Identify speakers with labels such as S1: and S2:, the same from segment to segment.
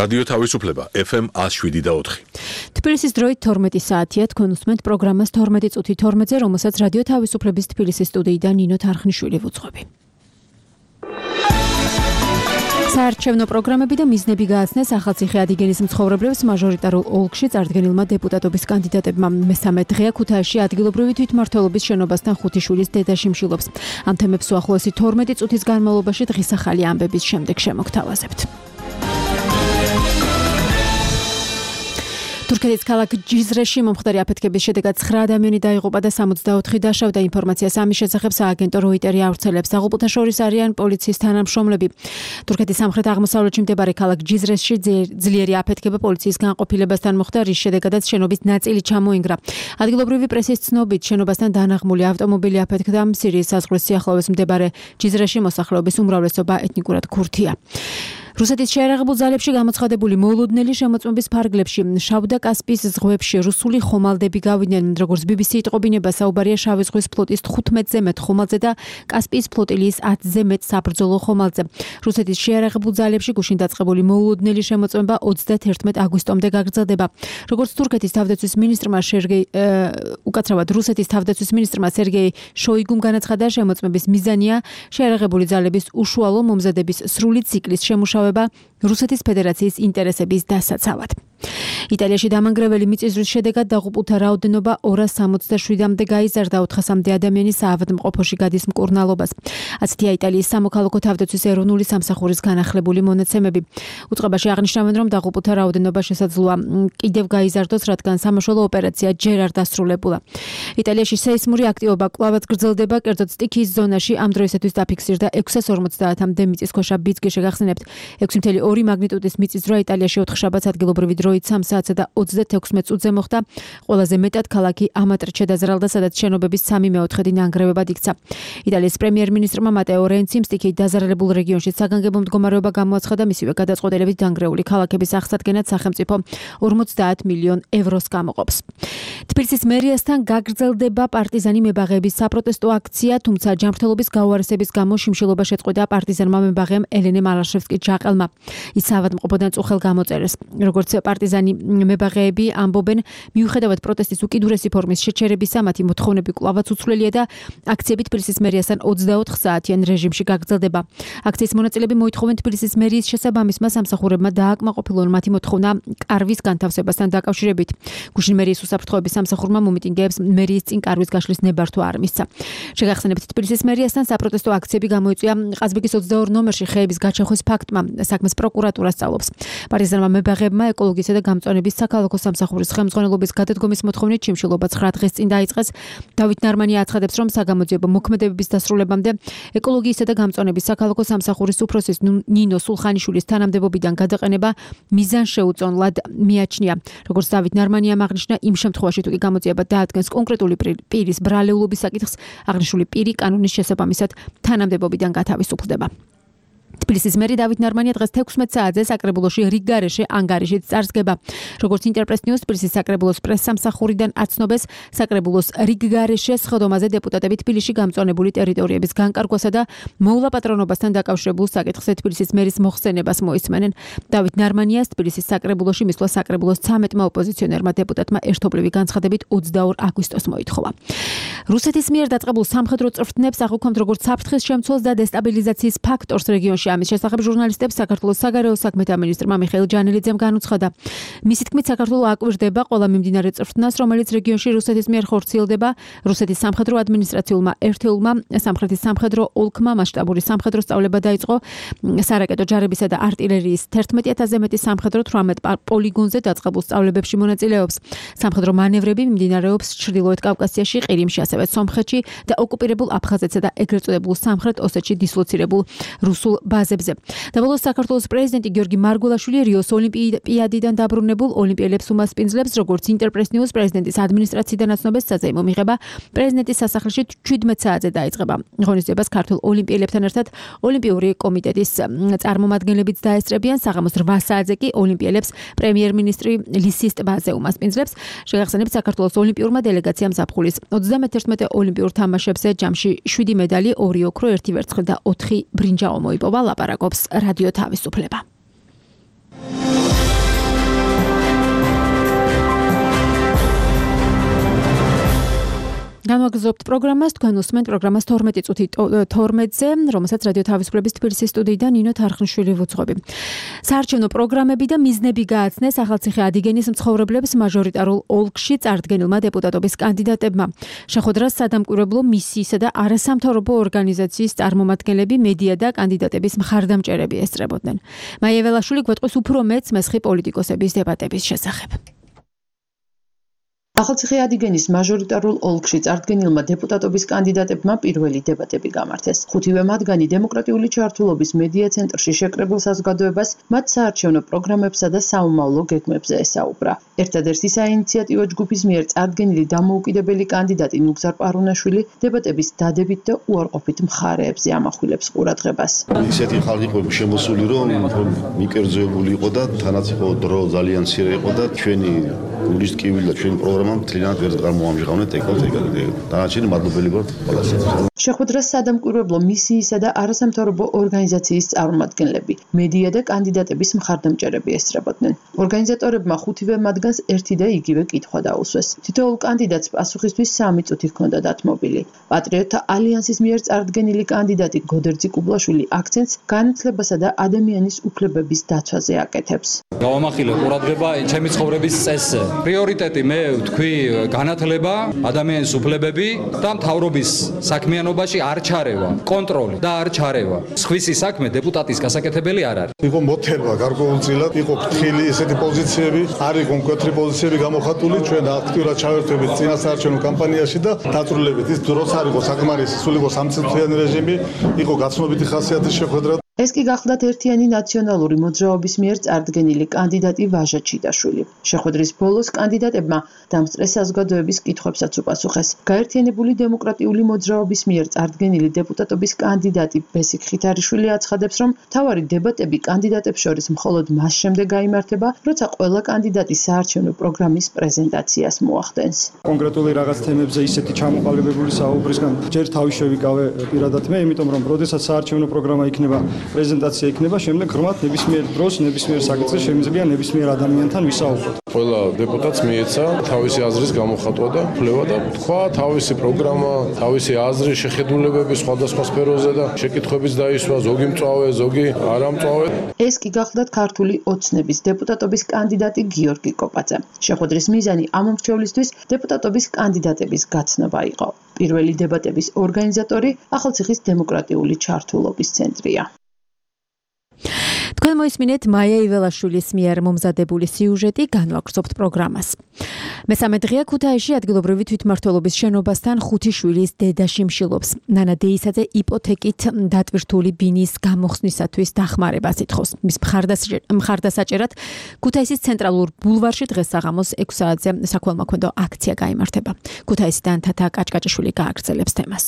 S1: რადიო თავისუფლება FM 107.4.
S2: თბილისის დროით 12 საათია, თქვენ უსმენთ პროგრამას 12 წუთი 12-ზე, რომელსაც რადიო თავისუფლების თბილისის სტუდიიდან ნინო თარხნიშვილი ვუძღვები. საარჩევნო პროგრამები და მიზნები გააცნეს ახალციხე ადიგენის მცხოვრებლებს მაჟორიტარულ ოლქში წარდგენილმა დეპუტატობის კანდიდატებმა. მესამე დღეა ქუთაისში ადგილობრივი თვითმმართველობის შენობასთან 5 შვილის დედა შიმშილობს. ამ თემებს უახლოესი 12 წუთის განმავლობაში დღის ახალი ამბების შემდეგ შემოგთავაზებთ. თურქეთის ქალაქ ჯიზრეში მომხდარი აფეთქების შედეგად 9 ადამიანი დაიღუპა და 64 დაშავდა. ინფორმაციას ამის შესახებ სააგენტო როიტერი ავრცელებს. დაღუპულთა შორის არიან პოლიციის თანამშრომლები. თურქეთის სამხრეთ-აღმოსავლეთში მდებარე ქალაქ ჯიზრეში ძლიერი აფეთქება პოლიციის განყოფილებასთან მოხდა, რის შედეგადაც შენობის ნაწილი ჩამოინგრა. ადგილობრივი პრესის ცნობით, შენობასთან დანაღმული ავტომობილი აფეთქდა. სირიის საზღვრის სიახლოვეს მდებარე ჯიზრეში მოსახლეობის უმრავლესობა ეთნიკურად ქურთია. რუსეთის შეიარაღებულ ძალებში გამოცხადებული მოლოდნელი შემოწმების ფარგლებში შავ და კასპიის ზღვებში რუსული ხომალდები გავიდნენ. როგორც BBC იტყობინება, საუბარია შავი ზღვის ფლოტის 15-ზე მეტ ხომალდზე და კასპიის ფლოტილიის 10-ზე მეტ საბრძოლო ხომალდზე. რუსეთის შეიარაღებულ ძალებში გუშინ დაწყებული მოლოდნელი შემოწმება 31 აგვისტომდე გაგრძელდება. როგორც თურქეთის თავდაცვის მინისტრმა რუსეთის თავდაცვის მინისტრმა სერგეი შოიგუმ განაცხადა, შემოწმების მიზანია შეიარაღებული ძალების უშუალო მომზადების სრული ციკლის შემუშავება რუსეთის ფედერაციის ინტერესების დასაცავად. იტალიაში დამანგრეველი მიწისძვრის შედეგად დაღუპულთა რაოდენობა 267-მდე გაიზარდა, 400-მდე ადამიანი საავადმყოფოში გადის მკურნალობას. ასეთია იტალიის სამოქალაქო თავდაცვის ეროვნული სამსახურის განახლებული მონაცემები. უწყებაში აღნიშნავენ, რომ დაღუპულთა რაოდენობა შესაძლოა კიდევ გაიზარდოს, რადგან სამაშველო ოპერაცია ჯერ არ დასრულებულა. იტალიაში სეისმური აქტივობა კვლავაც გრძელდება, კერძოდ სტიქიის ზონაში ამ დროისათვის დაფიქსირდა 650-მდე მიწისქვეშა ბიძგი. შეგახსენებთ, 6.2 მაგნიტუდის მიწისძვრა იტალიაში 4 შაბათს ადგილობრივი დროით 3 საათსა და 36 წუთზე მოხდა. ყველაზე მეტად ქალაქი ამატრჩე დაზარალდა, სადაც შენობების 3/4 ნანგრევებად იქცა. იტალიის პრემიერ-მინისტრმა მატეო რენციმ სტიქიით დაზარალებულ რეგიონში საგანგებო მდგომარეობა გამოაცხადა, მისივე გადაწყვეტილებით დანგრეული ქალაქების აღსადგენად სახელმწიფო 50 მილიონ ევროს გამოყოფს. თბილისის მერიასთან გაგრძელდება პარტიზანი მებაღეების საპროტესტო აქცია, თუმცა ჯანმრთელობის გაუარესების გამო შიმშილობა შეწყვეტა პარტიზანმა მებაღემ ელენე მალაშევსკის ჯაყელმა. ის საავადმყოფოდან წუხელ გამოწერეს. როგორც პარტიზანი მებაღეები ამბობენ, მიუხედავად პროტესტის უკიდურესი ფორმის შეჩერებისა, მათი მოთხოვნები კვლავაც უცვლელია და აქციები თბილისის მერიასთან 24 საათიან რეჟიმში გაგრძელდება. აქციის მონაწილეები მოითხოვენ თბილისის მერიის შესაბამისმა სამსახურებმა დააკმაყოფილონ მათი მოთხოვნა კარვის განთავსებასთან დაკავშირებით. გუშინ მერიის უსაფრთხოების სამსახურმა მომიტინგეებს მერიის წინ კარვის გაშლის ნებართვა არ მისცა. შეგახსენებთ, თბილისის მერიასთან საპროტესტო აქციები გამოიწვია ყაზბეგის 22 ნომერში ხეების გაჩეხვის ფაქტმა. საქმეს პროკურატურა სწავლობს. პარტიზანმა მებაღეებმა ეკოლოგიისა და გამწვანების საქალაქო სამსახურის ხელმძღვანელობის გადადგომის მოთხოვნით შიმშილობა 9 დღეს წინ დაიწყეს. დავით ნარმანია აცხადებს, რომ საგამოძიებო მოქმედებების დასრულებამდე ეკოლოგიისა და გამწვანების საქალაქო სამსახურის უფროსის ნინო სულხანიშვილის თანამდებობიდან გადაყენება მიზანშეუწონლად მიაჩნია. როგორც დავით ნარმანიამ აღნიშნა, იმ შემთხვევაში თუ კი გამოძიება დაადგენს კონკრეტული პირის ბრალეულობის საკითხს, აღნიშნული პირი კანონის შესაბამისად თანამდებობიდან გათავისუფლდება. თბილისის მერი დავით ნარმანია დღეს 16 საათზე საკრებულოში რიგგარეშე ანგარიშით წარსგება. როგორც ინტერპრეს ნიუს თბილისის საკრებულოს პრესსამსახურიდან აცნობეს, საკრებულოს რიგგარეშე სხდომაზე დეპუტატები თბილისში გამწვანებული ტერიტორიების განკარგვასა და მოულა-პატრონობასთან დაკავშირებულ საკითხზე თბილისის მერის მოხსენებას მოისმენენ. დავით ნარმანიას თბილისის საკრებულოში მისვლა საკრებულოს 13-მა ოპოზიციონერმა დეპუტატმა ერთობლივი განცხადებით 22 აგვისტოს მოითხოვა. რუსეთის მიერ დაწყებულ სამხედრო წვრთნებს აღვქვამთ როგორც საფრთხის შემცველს და დესტაბილიზაციის ფაქტორს რეგიონში. ამის შესახებ ჟურნალისტებს საქართველოს საგარეო საქმეთა მინისტრმა მიხეილ ჯანელიძემ განუცხადა. მისი თქმით, საქართველო აკვირდება ყველა მიმდინარე წვრთნას, რომელიც რეგიონში რუსეთის მიერ ხორციელდება. რუსეთის სამხედრო ადმინისტრაციულმა ერთეულმა სამხრეთის სამხედრო ოლქმა მასშტაბური სამხედრო სწავლება დაიწყო. სარაკეტო ჯარებისა და არტილერიის 11,000-ზე მეტი სამხედრო 18 პოლიგონზე დაწყებულ სწავლებებში მონაწილეობს. სამხედრო მანევრები მიმდინარეობს ჩრდილოეთ კავკასიაში, ყირიმში, ასევე სომხეთში და ოკუპირებულ აფხაზეთსა და ეგრეთ წოდებულ სამხრეთ ოსეთში დისლოცირებულ რუსულ ბაზებზე. და ბოლოს საქართველოს პრეზიდენტი გიორგი მარგველაშვილი რიოს ოლიმპიადიდან დაბრუნებულ ოლიმპიელებს უმასპინძლებს, როგორც ინტერპრეს ნიუს პრეზიდენტის ადმინისტრაციიდან აცნობეს, საზეიმო მიღება პრეზიდენტის სასახლეში 17 საათზე დაიწყება. ღონისძიებას ქართულ ოლიმპიელებთან ერთად ოლიმპიური კომიტეტის წარმომადგენლებიც დაესწრებიან. საღამოს 8 საათზე კი ოლიმპიელებს პრემიერ-მინისტრი ლისის ტბაზე უმასპინძლებს. შეგახსენებთ, საქართველოს ოლიმპიურმა დელეგაციამ ზაფხულის 31 ოლიმპიურ თამაშებზე ჯამში 7 медали, 2 ოქრო, 1 ვერცხლი და 4 ბრინჯაო მოიპოვა. ლაპარაკობს რადიო თავისუფლება. განვაგრძობთ პროგრამას, თქვენ უსმენთ პროგრამას 12 წუთი 12-ზე, რომელსაც რადიო თავისუფლების თბილისის სტუდიიდან ნინო თარხნიშვილი ვუძღვები. საარჩევნო პროგრამები და მიზნები გააცნეს ახალციხე ადიგენის მცხოვრებლებს მაჟორიტარულ ოლქში წარდგენილმა დეპუტატობის კანდიდატებმა. შეხვედრას სადამკვირვებლო მისიისა და არასამთავრობო ორგანიზაციის წარმომადგენლები, მედია და კანდიდატების მხარდამჭერები ესწრებოდნენ. მაია ველაშვილი გვეტყვის უფრო მეც მესხი პოლიტიკოსების დებატების შესახებ.
S3: ახალციხე ადიგენის მაჟორიტარულ ოლქში წარდგენილმა დეპუტატობის კანდიდატებმა პირველი დებატები გამართეს. ხუთივე მათგანი დემოკრატიული ჩართულობის მედია ცენტრში შეკრებილ საზოგადოებას მათ საარჩევნო პროგრამებსა და საომავლო გეგმებზე ესაუბრა. ერთადერთი საინიციატივო ჯგუფის მიერ წარდგენილი დამოუკიდებელი კანდიდატი ნუგზარ პარუნაშვილი დებატების დადებით და უარყოფით მხარეებზე ამახვილებს ყურადღებას.
S4: ისეთი ხალხი იყო შემოსული, რომ მიკერძოებული იყო და თანაც იყო დრო ძალიან მცირე იყო და ჩვენი გულის ტკივილი და ჩვენი პროგრამა მთლიანად ვერ გამოამჟღავნეთ დანარჩენი მადლობელი ვართ ყველას.
S3: შეხვედრას სადამკვირვებლო მისიისა და არასამთავრობო ორგანიზაციის წარმომადგენლები, მედია და კანდიდატების მხარდამჭერები ესწრებოდნენ. ორგანიზატორებმა ხუთივე მათგანს ერთი და იგივე კითხვა დაუსვეს. თითოეულ კანდიდატს პასუხისთვის 3 წუთი ჰქონდა დათმობილი. პატრიოტთა ალიანსის მიერ წარდგენილი კანდიდატი გოდერძი კუბლაშვილი აქცენტს განათლებასა და ადამიანის უფლებების დაცვაზე აკეთებს.
S5: გავამახილე ყურადღება ჩემი ცხოვრების წესზე. პრიორიტეტი მე ვთქვი განათლება, ადამიანის უფლებები და მთავრობის საქმიანობაში არ ჩარევა, კონტროლი და არ ჩარევა. სხვისი საქმე დეპუტატის გასაკეთებელი არ არის.
S6: იყო მოთელვა გარკვეულწილად, იყო ფრთხილი ესეთი პოზიციები, არ იყო მკვეთრი პოზიციები გამოხატული, ჩვენ აქტიურად ჩავერთვებით წინასაარჩევნო კამპანიაში და დაწვრილებით. ის დროს არ იყო საკმარისი, სულ იყო 3 წუთიანი რეჟიმი, იყო გაცნობიტი ხასიათის შეხვედრა.
S3: ეს კი გახლდათ ერთიანი ნაციონალური მოძრაობის მიერ წარდგენილი კანდიდატი ვაჟა ჩიტაშვილი. შეხვედრის ბოლოს კანდიდატებმა დამსწრეს საზოგადოების კითხვებსაც უპასუხეს. გაერთიანებული დემოკრატიული მოძრაობის მიერ წარდგენილი დეპუტატობის კანდიდატი ბესიკ ხითარიშვილი აცხადებს, რომ მთავარი დებატები კანდიდატებს შორის მხოლოდ მას შემდეგ გაიმართება, როცა ყველა კანდიდატი საარჩევნო პროგრამის პრეზენტაციას მოახდენს.
S7: კონკრეტული რაღაც თემებზე ისეთი ჩამოყალიბებული საუბრისგან ჯერ თავი შევიკავე პირადად მე, იმიტომ რომ როდესაც საარჩევნო პროგრამა იქნება პრეზენტაცია იქნება, შემდეგ ღრმად ნებისმიერ დროს, ნებისმიერ საკითხზე შემიძლია ნებისმიერ ადამიანთან ვისაუბროთ.
S8: ყველა დეპუტატს მიეცა თავისი აზრის გამოხატვა და ფლევა და თქვა თავისი პროგრამა, თავისი აზრი, შეხედულებები სხვადასხვა სფეროზე და შეკითხვებიც დაისვა, ზოგი მწვავე, ზოგი არა მწვავე.
S3: ეს კი გახლდათ ქართული ოცნების დეპუტატობის კანდიდატი გიორგი კოპაძე. შეხვედრის მიზანი ამ მრჩევლისთვის დეპუტატობის კანდიდატების გაცნობა იყო. პირველი დებატების ორგანიზატორი ახალციხის დემოკრატიული ჩართულობის ცენტრია.
S2: თქვენ მოისმინეთ მაია იველაშვილის მიერ მომზადებული სიუჟეტი, განვაგრძობთ პროგრამას. მესამე დღეა ქუთაისში ადგილობრივი თვითმმართველობის შენობასთან 5 შვილის დედა შიმშილობს. ნანა დეისაძე იპოთეკით დატვირთული ბინის გამოხსნისათვის დახმარებას ითხოვს. მის მხარდასაჭერად ქუთაისის ცენტრალურ ბულვარში დღეს საღამოს 6 საათზე საქველმოქმედო აქცია გაიმართება. ქუთაისიდან თათა კაჭკაჭიშვილი გააგრძელებს თემას.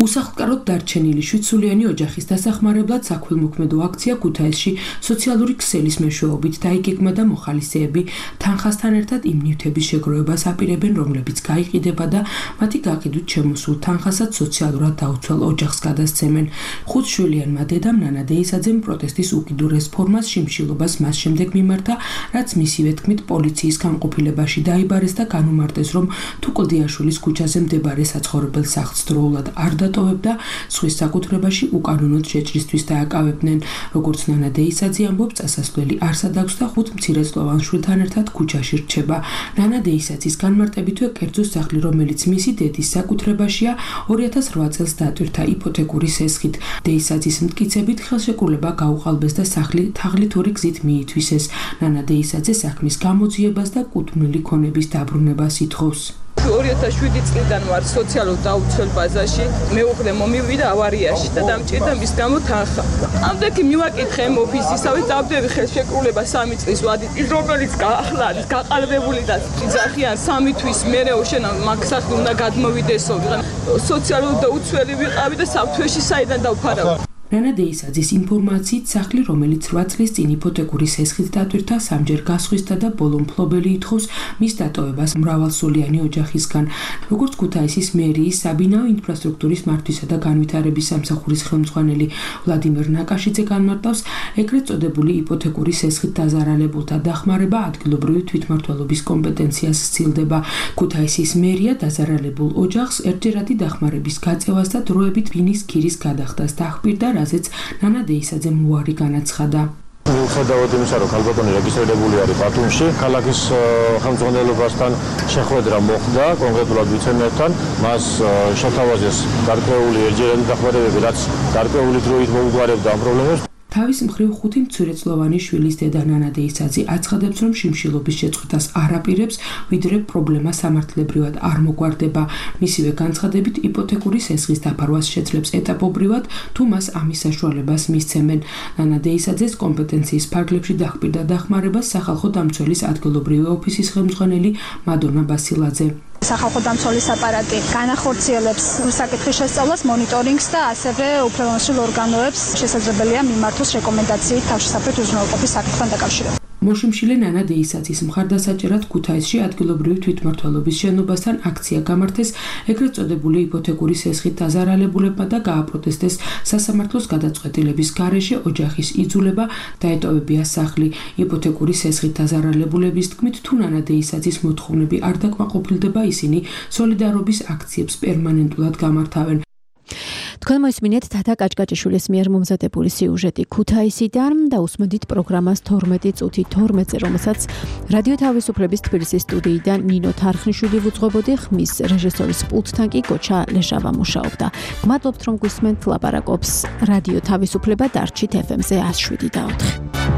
S9: უსახლკაროდ დარჩენილი 7-სულიანი ოჯახის დასახმარებლად საქველმოქმედო აქცია ქუთაისში სოციალური ქსელის მეშვეობით დაიგეგმა და მოხალისეები თანხასთან ერთად იმ ნივთების შეგროვებას აპირებენ, რომლებიც გაიყიდება და მათი გაყიდვით შემოსულ თანხასაც სოციალურად დაუცველ ოჯახს გადასცემენ. 5-შვილიანმა დედამ ნანა დეისაძემ პროტესტის უკიდურეს ფორმას შიმშილობას მას შემდეგ მიმართა, რაც მისივე თქმით პოლიციის განყოფილებაში დაიბარეს და განუმარტეს, რომ თუ კლდიაშვილის ქუჩაზე მდებარე საცხოვრებელ სახლს დროულად არ დატოვებდა, სხვის საკუთრებაში უკანონოდ შეჭრისთვის დააკავებდნენ. როგორც ნანა დეისაძე ამბობს, წასასვლელი არსად აქვს და 5 მცირეწლოვან შვილთან ერთად ქუჩაში რჩება. ნანა დეისაძის განმარტებითვე კერძო სახლი, რომელიც მისი დედის საკუთრებაშია, 2008 წელს დატვირთა იპოთეკური სესხით. დეისაძის მტკიცებით ხელშეკრულება გაუყალბეს და სახლი თაღლითური გზით მიითვისეს. ნანა დეისაძე საქმის გამოძიებას და კუთვნილი ქონების დაბრუნებას ითხოვს.
S10: 2007 წლიდან ვარ სოციალურ დაუცველ ბაზაში, მეუღლე მომივიდა ავარიაში და დამჭირდა მის გამო თანხა. ამდენი მივაკითხე ოფისისავე, დავდები ხელშეკრულება 3 წლის ვადით, რომელიც ახლა არის გაყალბებული და ძახიან 3 თვის მერე შენ მაგ სახლი უნდა გადმოვიდესო. სოციალურ დაუცველი ვიყავი და საფრთხეში საიდან დავფარავ.
S9: ნანა დეისაძის ინფორმაციით სახლი, რომელიც 8 წლის წინ იპოთეკური სესხით დატვირთა, სამჯერ გასხვისდა და ბოლო მფლობელი ითხოვს მის დატოვებას მრავალსულიანი ოჯახისგან. როგორც ქუთაისის მერიის საბინაო ინფრასტრუქტურის მართვისა და განვითარების სამსახურის ხელმძღვანელი ვლადიმერ ნაკაშიძე განმარტავს, ეგრეთ წოდებული იპოთეკური სესხით დაზარალებულთა დახმარება ადგილობრივი თვითმმართველობის კომპეტენციას სცილდება. ქუთაისის მერია დაზარალებულ ოჯახს ერთჯერადი დახმარების გაწევას და დროებით ბინის ქირის გადახდას დაჰპირდა, რაზეც ნანა დეისაძემ უარი განაცხადა.
S11: მიუხედავად იმისა, რომ ქალბატონი რეგისტრირებული არის ბათუმში, ქალაქის ხელმძღვანელობასთან შეხვედრა მოხდა, კონკრეტულად ვიცე-მერთან, მას შეთავაზეს გარკვეული ერთჯერადი დახმარებები, რაც გარკვეული დროით მოუგვარებდა ამ პრობლემებს.
S9: თავის მხრივ 5 მცირეწლოვანი შვილის დედა ნანა დეისაძე აცხადებს, რომ შიმშილობის შეწყვეტას არ აპირებს, ვიდრე პრობლემა სამართლებრივად არ მოგვარდება. მისივე განცხადებით, იპოთეკური სესხის დაფარვას შეძლებს ეტაპობრივად, თუ მას ამის საშუალებას მისცემენ. ნანა დეისაძეს კომპეტენციის ფარგლებში დაჰპირდა დახმარებას სახალხო დამცველის ადგილობრივი ოფისის ხელმძღვანელი მადონა ბასილაძე.
S12: სახალხო დამცველის აპარატი განახორციელებს საკითხის შესწავლას, მონიტორინგს და ასევე უფლებამოსილ ორგანოებს შესაძლებელია მიმართოს რეკომენდაციით თავშესაფრით უზრუნველყოფის საკითხთან დაკავშირებით.
S9: მოშიმშილე ნანა დეისაძის მხარდასაჭერად ქუთაისში ადგილობრივი თვითმმართველობის შენობასთან აქცია გამართეს ეგრეთ წოდებული იპოთეკური სესხით დაზარალებულებმა და გააპროტესტეს სასამართლოს გადაწყვეტილების გარეშე ოჯახის იძულება დაეტოვებია სახლი. იპოთეკური სესხით დაზარალებულების თქმით, თუ ნანა დეისაძის მოთხოვნები არ დაკმაყოფილდება, ისინი სოლიდარობის აქციებს პერმანენტულად გამართავენ.
S2: თქვენ მოისმინეთ თათა კაჭკაჭიშვილის მიერ მომზადებული სიუჟეტი ქუთაისიდან და უსმენთ პროგრამას 12 წუთი 12-ზე, რომელსაც რადიო თავისუფლების თბილისის სტუდიიდან ნინო თარხნიშვილი ვუძღვებოდი, ხმის რეჟისორის პულტთან კი გოჩა ლეჟავა მუშაობდა. გმადლობთ, რომ გვისმენთ, ლაპარაკობს რადიო თავისუფლება, დარჩით FM-ზე 107.4.